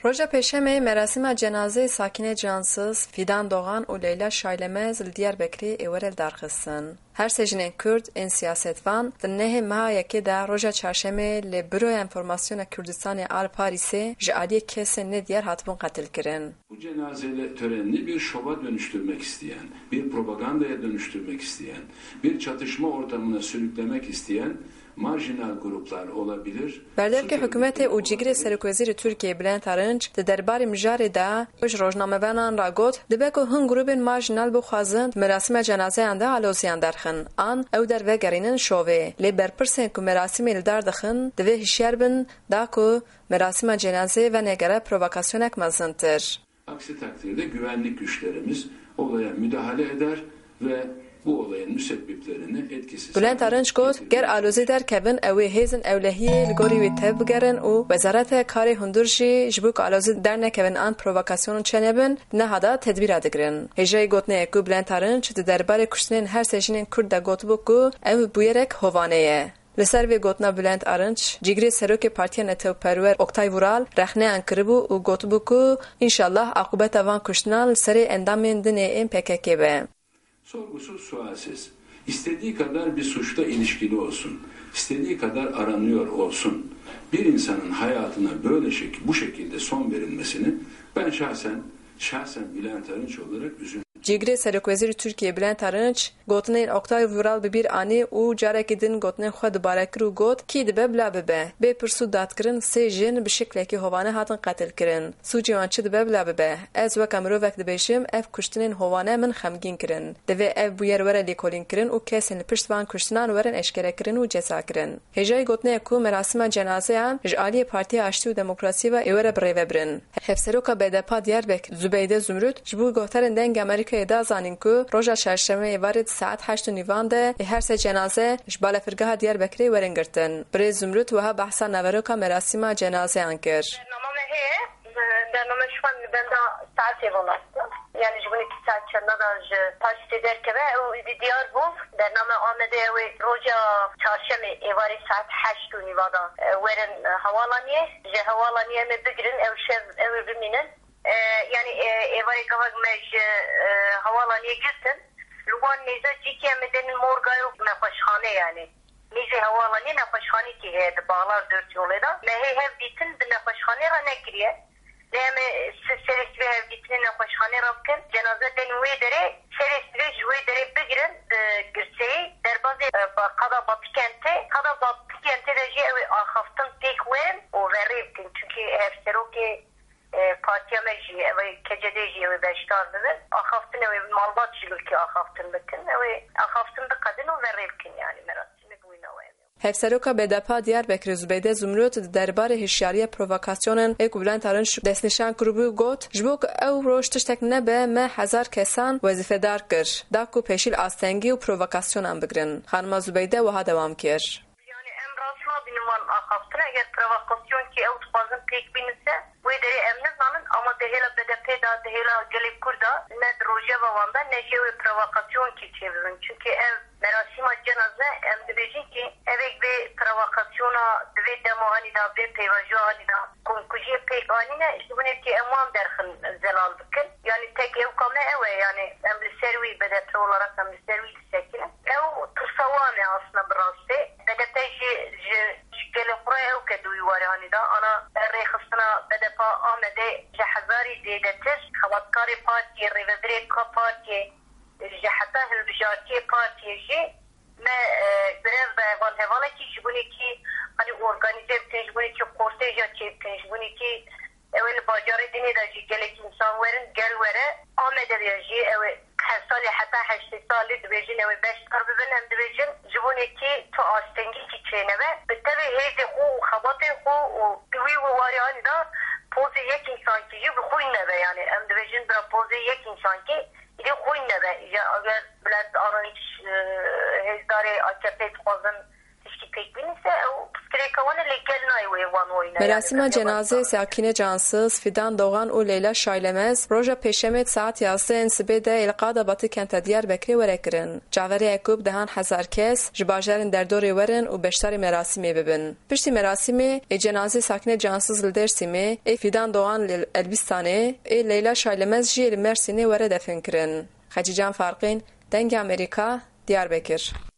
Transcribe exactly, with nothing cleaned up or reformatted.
Roja Pêşemê merasîma cenazeyê Sakîne Cansız, Fîdan Doğan û Leyla Şaylemez li Diyarbekirê ê were lidarxistin. Her sê jinên Kurd ên siyasetvan di nehê meha yekê de roja çarşemê li Büroya Enformasyona Kurdistanê a li Parîsê ji aliyê kesên nediyar hatibûn qetilkirin. Bu cenaze törenini bir şova dönüştürmek isteyen, bir propagandaya dönüştürmek isteyen, bir çatışma ortamına sürüklemek isteyen marjinal gruplar olabilir. Berdevkê hikûmetê û cîgirê serokwezîrê Tirkiyeyê Bülent Arınç di derbarê mijarê de ji rojnamevanan re got, dibe ku hin grûbên marjinal bixwazin di merasîma cenazeyan de aloziyan derxin an ew der vegerînin şovê. Lê berpirsên ku merasîmê li dar dixin divê hişyar bin da ku merasîma cenazeyê venegere provokasyonek mezintir. Aksi takdirde güvenlik güçlerimiz olaya müdahale eder ve bu olayın müsebbiplerini etkisiz Bülent Arınç got, ger alozî derkevin, ew ê hêzên ewlehiyê li gorî wê tev bigerin û Wezareta Karê Hundir jî ji bo ku alozî dernekevin an provokasyon çênebin, di niha de tedbîra digirin. Hêjayî gotinê ye ku Bülent Arınç di derbarê kuştinên her sê jinên Kurd de gotibû ku ev bûyerek hovane ye. Li ser vê gotina Bülent Arınç, cîgirê serokê Partiya Netewperwer Oktay Vural rexneyan kiribû û gotibû ku înşallah aqûbeta van kuştinan li serê endamên din ê ên P K K be. Sorgusuz sualsiz, istediği kadar bir suçla ilişkili olsun, istediği kadar aranıyor olsun, bir insanın hayatına böyle şek bu şekilde son verilmesini ben şahsen, şahsen Bülent Arınç olarak üzüldüm. Cîgirê serokwezîrê Tirkiyê Bülent Arınç gotinên Oktay Vural bi bîr anî û carekî din gotinên xwe dubare kir û got, kî dibe bila bibe. Bê pirs û dadkirin sê jin bi şiklekî hovane hatin qetilkirin. Sûcê wan çi dibe bila bibe. Ez weke mirovek dibêjim, ev kuştinên hovane min xemgîn kirin. Divê ev bûyer were lêkolînkirin û kesên li pişt van kuştinan werin eşkerekirin û cezakirin. Hêjayî gotinê ye ku merasîma cenazeyan ji aliyê Partiya Aştî û Demokrasiyê ve ê were birêvebirin. Hevseroka B D P a Diyarbekir Zubeyde Zumrut ji bo guhdarên Dengê Amerîkayê da zanîn ku roja çarşemê êvarê di saet heşt û nîvan de ê her sê cenaze ji balafirgeha Diyarbekirê werin girtin. Birêz Zumrut wiha behsa naveroka merasîma cenazeyan kir. Bernama me heye, bernama şixwe li benda saetê ve mast e. Yani ji winekî saet çenda de ji paştê derkeve, ew êdî diyar bû. Bername Amedê ew ê roja çarşemê êvarê saet heşt û nîva de, e, werin, e, hewalaniyê. Ji hewalaniyê em ê bigirin, ew şev ew ê bimînin. E, yani, e, êvarê gavek me ji, e, hewalaniyê girtin. Li wan nêze cîkî em ê denin morga ew nexweşxane yani. Nêzê hewalanê nexweşxanekî heye di Bağlar Dört Yolê de. Me hê hev dîtin bi nexweşxanê re nekiriye. Lê em ê si-, serê sibê hevdîtinê nexweşxanê re bikin. Cenaze den wê derê, serê sibê ji wê derê bigirin, e, girseyî, derbazê, e, ba-, qada Batikentê. Qada Batikentê de jî ew ê axaftin pêk werin û verê bikin. Çunkî hevserokê, e, partiya me jî, ew ê K C D jî ew ê beşdar bibin. Axaftin ew ê malbat ji lûkê axaftin bikin. Ew ê axaftin biqedin û verê bikin, yani merasîmê bi wî navê. Hevseroka B D P a Diyarbekirê Zubeyde Zumrut di derbarê hişyariya provokasyonan ê ku Bülent Arınç destnîşan kiribû got, ji bo ku ew roj tiştek nebe, me hezar kesan wezîfedar kir, da ku pêşî li astengî û provokasyonan bigirin. Xanima Zubeyde wiha dewam kir. Yani em rast nabînin van axaftin, eger provokasyonkî ew dixwazin pêk bînin se, wê derê em nizanin, ama di hêla B D P de, di hêla gelê Kurd de, ne di rojeva wan de, ne jî ew ê provokasyonkî çêbibin. Çunkî ev merasîma cenaze, em dibêjin kî evek vê provokasyona di vê dema hanî de, vê pêvajoya hanî de komkujiyê pêk anîne, ji binê kî em wan derxin zelal bikin. Yanî tek ewka me ew e, yanî em li ser wî, B D P olarak em li ser wî disekinin. Ew tirsa wan e aslında bi rastî. B D P jî ji, ji gelê xwe re ew ke di wî warê hanî de, ana rêxistina B D P Amedê ji hezarî zêdetir xebatkarê partiyê, rêvebirê ka partiyê, ji heta hilbijartiyê partiyê jî me, e, grev de heval hevalekî ji winekî, hani, organîze bikin, ji winekî kortêja çêbikin, ji winekî ew ê li bajarê dinê de jî gelek însan werin, gel were. Amede de jî ew ê her salê heta heştê salê dibêjin ew ê beşdar bibin, em dibêjin ji winekî tu astengîkî çênebe. Bi tevê hêzê xwe û xebatê xwe û di wî warê anî de pozê yek însankî jî bi xwîn nebe. Yani em dibêjin bira pozê yek însankî Îdî xwîn nebe. Ya eger Bülent Arınç, e, hêzdarê A K P dixwazin tiştî pêk bînin se, ew pirsgirêka wan e, lê gel nayê wê wan wayîne. Merasîma cenazê Sakîne Cansız, Fidan Doğan û Leyla Şaylemez roja Pêşemê di saet yazdeh ên sibê de ê li Qadabatê kenta Diyarbekirê were kirin. Çaverê Ekûb dehan hezar kes ji bajarên derdorê werin û beşdarî merasîmê bibin. Piştî merasîmê ê cenazê Sakîne Cansız li Dêrsimê, ê Fidan Doğan li Elbîstanê, ê Leyla Şaylemez jî li Mersînê were defin kirin. Xecîcan Farqîn, Dengê Amerîka, Diyarbekir.